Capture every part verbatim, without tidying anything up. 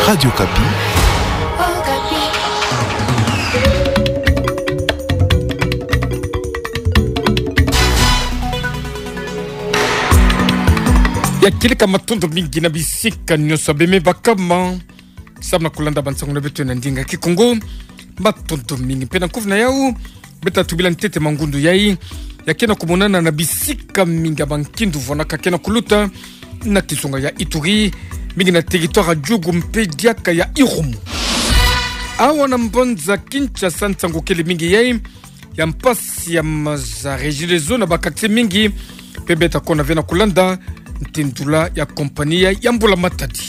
Radio Okapi. Ya kieleka matondo mingi na bisika nyonso beme bakama. Samu na kulanda bansango na beto na ndinga Kikongo. Matondo mingi. Mpe na kuvuna yau, beta tubila ntete mangundu yai ya kena kumonana na bisika mingi ya bankindu vwanaka kena kuluta na kizunga ya Ituri, mingi na territoire ya Djugu mpe diaka ya Irumu. Awa na mbanza Kinshasa, nsangu kele mingi yai ya mpasi ya maza Regideso na ba quartier mingi, mpe beta kona ve na kulanda ntindula ya compagnie ya, ya mbula matadi.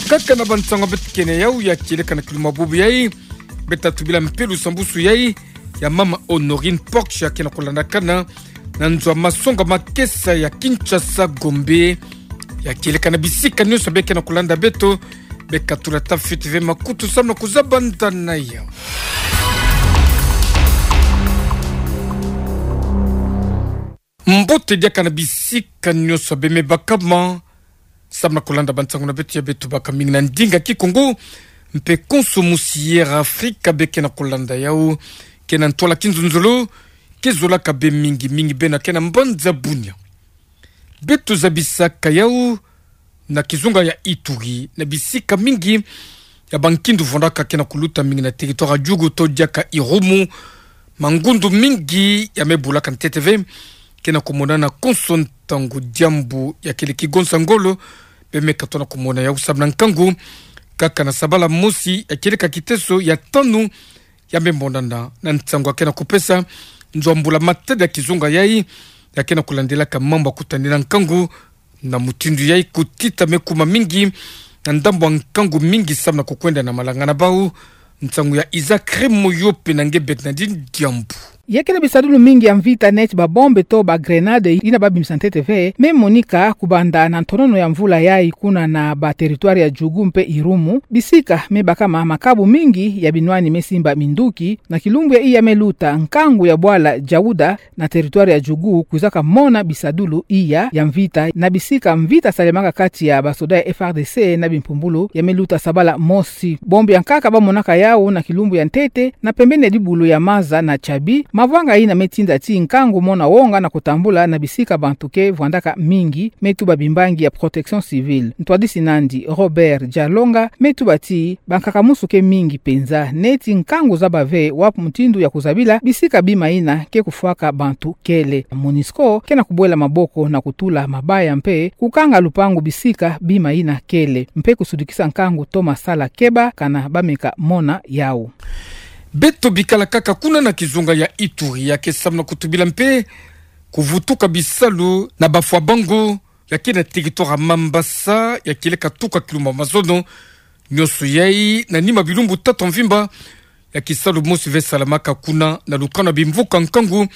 Kaka na bansango beto kena yau ya kieleka na kiluma bubu yai, beta tubila mpe lusambusu yai ya mama Honorine Porch ya kena kulandakana na nzo ya masonga makesa ya Kinshasa Gombe. Ya kieleka na bisika nyonso be kena kulanda beto, beka tula tafiti ve makutu samu na kuzaba ndana yau. Mbote diaka na bisika nyonso beme bakama. Samu na kulanda bansango na beto ya beto baka mingi na ndinga Kikongo, mpe konso musi Air Afrika be kena kulanda yau, kena ntwala kinzonzolo, ke zolaka be mingi mingi bena kena mbanza Bunia. Beto zabisaka yau na kizunga ya Ituri, na bisika mingi ya bankindu vwanaka kena kuluta, mingi na territoire ya Djugu to diaka Irumu, mangundu mingi ya me bulaka ntete ve, kena kumonana konso ntangu diambu ya kele kigonsa ngolo, beme katona kumona yau samu na nkangu. Kaka na sabala mosi ya kieleka kiteso ya tanu ya me monana na nsangu ya kena kupesa nzo ya mbula matadi ya kizunga yai, ya kena kulandelaka mambu ya kutanina nkangu. Na mutindu yai, kutita me kuma mingi na ndambu ya nkangu mingi samu na kukwenda na malanga na bau. Nsangu ya Isaac Raymond Yope na nge Bernardine Diambu. Ya kele bisadulu mingi ya mvita neti ba bombe to ba grenade yina babimisa ntete ve, me monika kubanda na ntonono ya mvula yai kuna na ba territoire ya Djugu mpe Irumu, bisika me bakama makabu mingi ya binwani me simba minduki, na kilumbu ya iya me luta, nkangu ya bwala Djaouda na territoire ya Djugu kwizaka mona bisadulu iya ya mvita, na bisika mvita salemaka kati ya basoda ya F R D C na bimpumbulu ya me luta sabala mosi. Bombe ya nkaka bamonaka yau na kilumbu ya ntete, na pembeni ya dibulu ya maza na Tchabi, mavanga yina me tinda ti nkangu mona wonga na kutambula na bisika bantu ke vwandaka mingi, me tuba bimbangi ya protection civile. Ntwadisi nandi Robert Djalonga me tuba ti bankaka musu ke mingi penza, neti nkangu zaba ve wapi mutindu ya kuzabila bisika bima yina ke kufwaka bantu kele. Monusco kena kubwela maboko na kutula mabaya mpe kukanga lupangu bisika bima yina kele, mpe kusudikisa nkangu to masala keba kana bameka mona yau. Beto bikala kaka kuna na kizunga ya Ituri, ya ke samu na kutubila mpe kuvutuka bisalu na bafwa bango ya ke na territoire ya Mambasa, ya kieleka tuka kilumbu ya mazono. Nyonso yai na nima bilumbu tatu ya mvimba ya kisalu mosi ve salamaka kuna na lukanu ya bimvuka nkangu,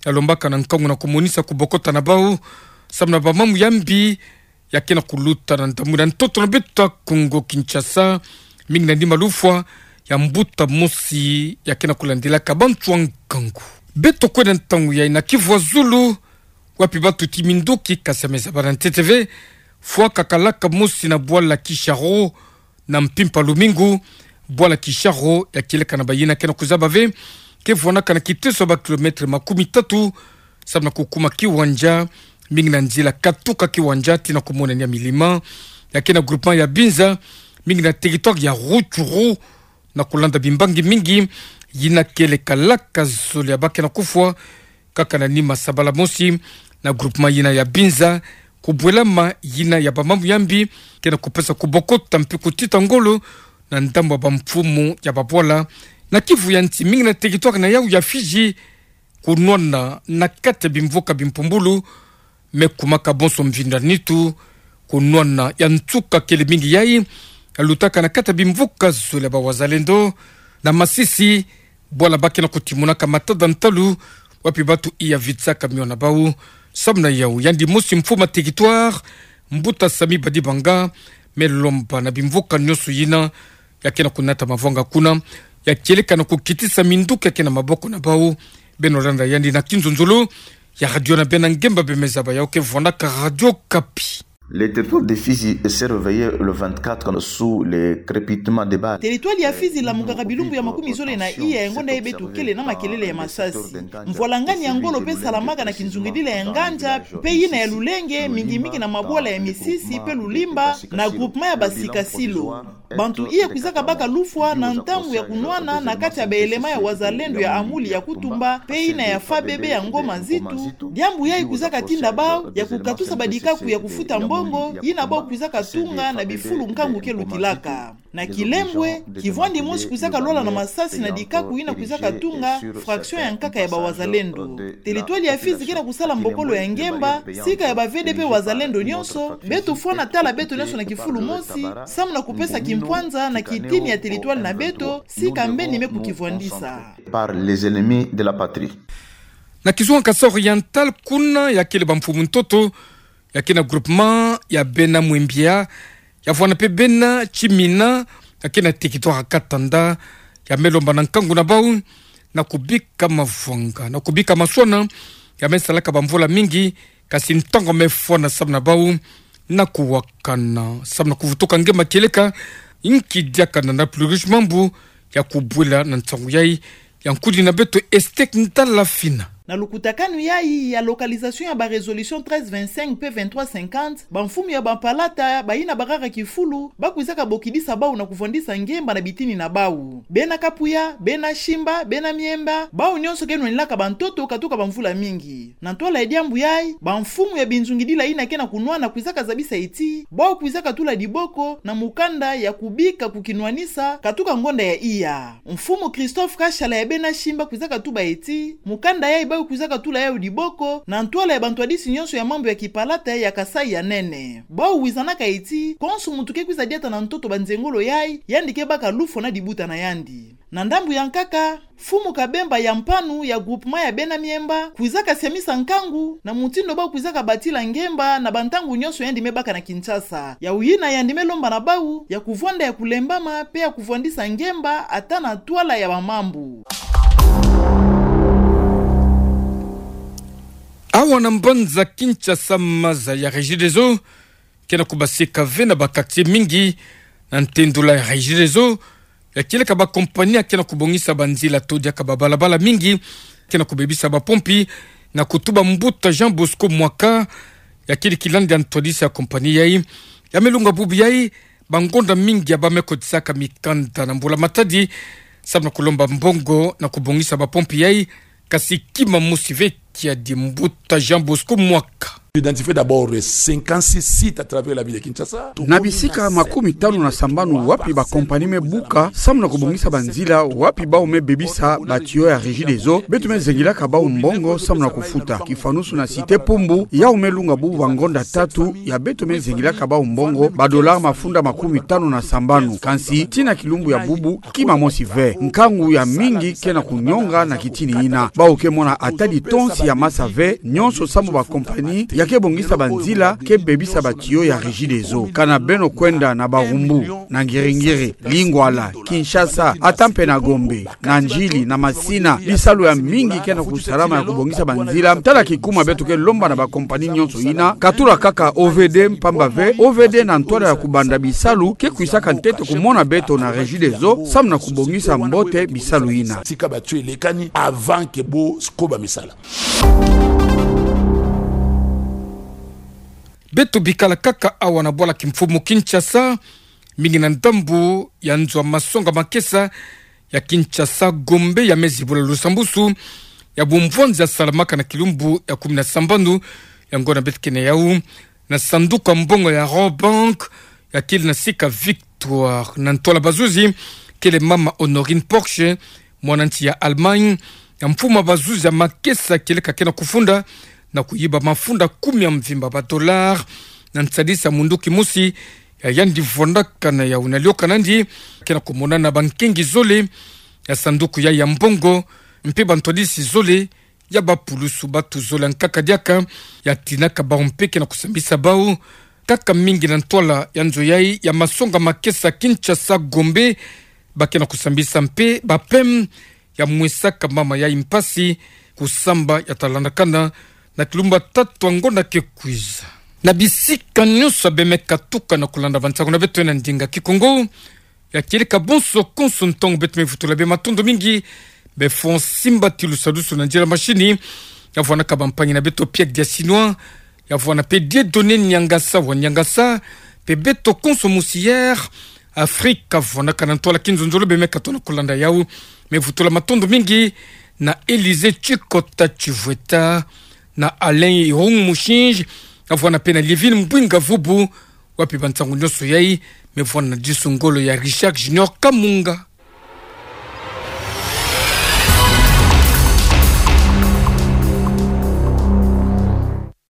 ya lombaka na nkangu na kumonisa kubokota na bau samu na bamamu ya mbi ya kena kuluta na ndambu na ntoto na beto ya Kongo Kinshasa, mingi na nima lufwa ya mbuta mosi ya kena kulandelaka bantu ya nkangu. Beto kwenda ntangu yai na Kivu ya Zulu, wapi batuti minduki, kasi ya me zaba na ntete ve, fwakakalaka mosi na bwala Kisharo, na mpimpa lumingu. Bwala Kisharo ya kieleka na bayina kena kuzaba ve, ke vwanaka na kiteso ya ba kilomètre makumi tatu samu na kukuma kiwanja, mingi na nzila katuka kiwanja tii na kumonania milima. Ya ke na groupement ya Binza, mingi na territoire ya Rutshuru, na kulanda bimbangi mingi yina kielekalaka zole ya ba kena kufwa. Kaka na nima sabala mosi, na groupement yina ya Binza, kubwelama yina ya bamamu ya mbi kena kupesa kubokota mpe kutita ngolo na ndambu ya bamfumu ya babwala na Kivu ya nsi, mingi na territoire na yau ya Fidji, kunwana na kati ya bimvuka bimpumbulu, me kumaka bonso mvinda nitu, kunwana ya nsuka kele mingi yai ya lutaka na kati ya bimvuka zole ya ba wazalendo. Na Masisi, bwala ba kena kutimunaka matada ntalu, wapi batu iya vitsaka mio na bau. Samu na yau, yandi mosi mfumu ya territoire, mbuta Sami Badibanga, me lomba na bimvuka nyonso yina ya kena kunata mavanga kuna, ya kieleka na kukitisa minduki ya ke na maboko na bau. Beno landa yandi na kinzonzolo ya radio na beno ngemba bemeza ba yau ke vwanaka Radio Okapi. Le territoire de Fizi s'est réveillé le vingt-quatre sous le crépitement des balles. Teritwali ya Fizi ilamukaka bilumbu ya makumi zole na iya ya ngonda yayi beto kele na makelele ya masasi. Mvwalangani ya ngolo mpe salamaka na kinzungidila ya nganja mpe yina ya lulenge, mingi mingi na mabwala ya Misisi mpe Lulimba na groupement ya Basikasilo. Bantu iye kwizaka baka lufwa na ntangu ya kunwana na kati ya baelema ya wazalendo ya Amuli ya Kutumba mpe yina ya F A B B ya Ngoma Nzitu, diambu yayi kwizaka tinda bau ya kukatusa badikaku ya kufuta mbongo yina bau kwizaka tunga na bifulu nkangu ke lukilaka. Na Kilembwe, kivwandi mosi kwizaka lwala na masasi na dikaku yina kwizaka tunga fraction ya nkaka ya bawazalendo. Teritwali ya Fizi ke na kusala mbokolo ya ngemba, sika ya ba V D P wazalendo nyonso, beto fwana tala beto nyonso na kifulu mosi, samu na kupesa kimpwanza na kitini ya teritwali na beto, sika mbeni me kukivwandisa. Par les ennemis de la patrie. Na kizunga Kasaï Oriental kuna ya kele bamfumu ntoto ya ke na groupement ya bena Mwembia, ya vwana mpe bena Tchimina, ya ke na territoire Katanda, ya me lomba na nkangu na bau na kubika mavwanga, na kubika maswana, ya me salaka bamvula mingi, kasi ntangu me fwana samu na bau na kuwakana, samu na kuvutuka ngemba kieleka, inki diaka na plus riche mambu ya kubwela na nsangu yayi, ya nkudi na beto Estek Ntalafina. Na lukutakanu yayi ya localisation ya ba résolution treize vingt-cinq mpe vingt-trois cinquante, bamfumu ya bapalata, bayina barara kifulu, bakwizaka bokidisa bau na kuvwandisa ngemba na bitini na bau. Bena Kapuya, bena Shimba, bena Miemba, bau nyonso ke nwanilaka bantoto katuka bamvula mingi. Na ntwala ya diambu yayi, bamfumu ya binzungidila yina ke na kunwana kwizaka zabisa ti bau kwizaka tula diboko na mukanda ya kubika kukinwanisa katuka ngonda ya iya. Mfumu Christophe Kashala ya bena Shimba kwizaka tuba ti mukanda yayi bau kwizaka tula yawu diboko na ntwala ya bantwadisi nyonso ya mambu ya kipalata ya Kasaï ya nene. Bau wizanaka ti konso muntu ke kwiza diata na ntoto banzengolo yayi, yandi ke baka lufwa na dibuta na yandi. Na ndambu ya nkaka, Mfumu Kabemba ya Mpanu ya groupement ya bena Miemba kwizaka siamisa nkangu na mutindu bau kwizaka batila ngemba na bantangu nyonso yandi me baka na Kinshasa. Yawu yina yandi me lomba na bau ya kuvwanda ya kulembama mpe ya kuvwandisa ngemba ata na ntwala ya bamambu. Awa na mbanza Kinshasa, maza ya Regideso ke na kubasika ve na ba quartier mingi. Na ntendula ya Regideso, ya kieleka ba compagnie ke na kubongisa banzila to diaka babalabala mingi, ke na kubebisa bapompi, na kutuba mbuta Jean Bosco Mwaka, ya kele kilandi ya ntwadisi ya compagnie yayi. Ya me lunga bubu yayi, bangonda mingi ya bau me kotisaka mikanda na Mbula Matadi, samu na kulomba mbongo na kubongisa bapompi yayi, kasi kima mosi ve kiadi. Mbuta Jean Bosco Mwaka. Identifier d'abord cinquante-six sites à travers la ville de Kinshasa. Na bisika makumi tanu na sambanu wapi ba compagnie me buka samu na kubongisa banzila, wapi bau me bebisa ba tuyau ya Regideso, beto me zengilaka bau mbongo samu na kufuta. Kifanusu na Cité Pumbu, yau me lunga bubu bangonda tatu ya beto me zengilaka bau mbongo, ba dollars mafunda makumi tanu na sambanu. Kansi, tii na kilumbu ya bubu, kima mosi ve. Nkangu ya mingi ke na kunyonga na kitini yina. Bau ke mona ata litonsi ya masa ve, nyonso samu ba compagnie ya ke bongisa banzila, ke bebisa ba tuyau ya Regideso. Kana beno kwenda na Barumbu, na Ngiri-Ngiri, Lingwala, Kinshasa, ata mpe na Gombe, na Ndjili, na Masina, bisalu ya mingi ke na kusalama ya kubongisa banzila. Tala kikuma beto ke lomba na ba compagnie nyonso yina, katula kaka O V D, mpamba ve O V D na ntwala ya kubanda bisalu ke kwisaka ntete kumona beto na Regideso, samu na kubongisa mbote bisalu yina. Tika ba tuyau elekani avant que bo koba misala. Beto bikala kaka awa na bwala kimfumu Kinshasa, mingi na ndambu ya nzo ya masonga makesa ya Kinshasa Gombe ya me zibula lusambusu ya bumvwanzi ya salamaka na kilumbu ya kumi na sambanu ya ngonda beto ke na yau, na sanduku ya mbongo ya Rabobank, ya kele na sika Victoire. Na ntwala bazuzi, kele mama Honorine Porsche, mwana nsi ya Allemagne, ya mfumu ya bazuzi ya makesa kieleka ke na kufunda, na kuyiba mafunda kumi ya mvimba ba dollars, na nsadisi ya mundu kimosi, ya yandi vwandaka na yau. Na liyokana nandi, ke na kumonana bankengi zole ya sanduku ya, ya mbongo, mpe bantwadisi zole ya bapulusu. Batu zole ya nkaka diaka, ya tinaka bau mpe ke na kusambisa bau, kaka mingi na ntwala ya nzo yayi ya masonga makesa Kinshasa Gombe, ba ke na kusambisa mpe ba pem ya mwesaka mama yayi mpasi, kusamba ya talandakana na kilumbu ya tatu ya ngonda ke kwiza. Na bisika nyonso abe me katuka na kolanda bansangu na beto na ndinga Kikongo, ya kieleka bonso konso ntangu beto me vutula be matondo mingi be fu simbatilu sadusu na nzila mashini, ya vwana ka bampangi na beto Pierre Diasinois, ya vwana pe Dieudonné Niangasa wa Niangasa, pe beto konso musi Air Afrique, ya vwana ka na ntwala kinzonzolo be me katuka na kolanda yau. Me vutula matondo mingi na Élysée Tshikota Tshivweta, na Alain Irung Mushinji, ya vwana pe na Livine Mbwinga Vubu, wapi bansangu nyonso yai, me vwana na disu ngolo ya Richard Junior Kamunga.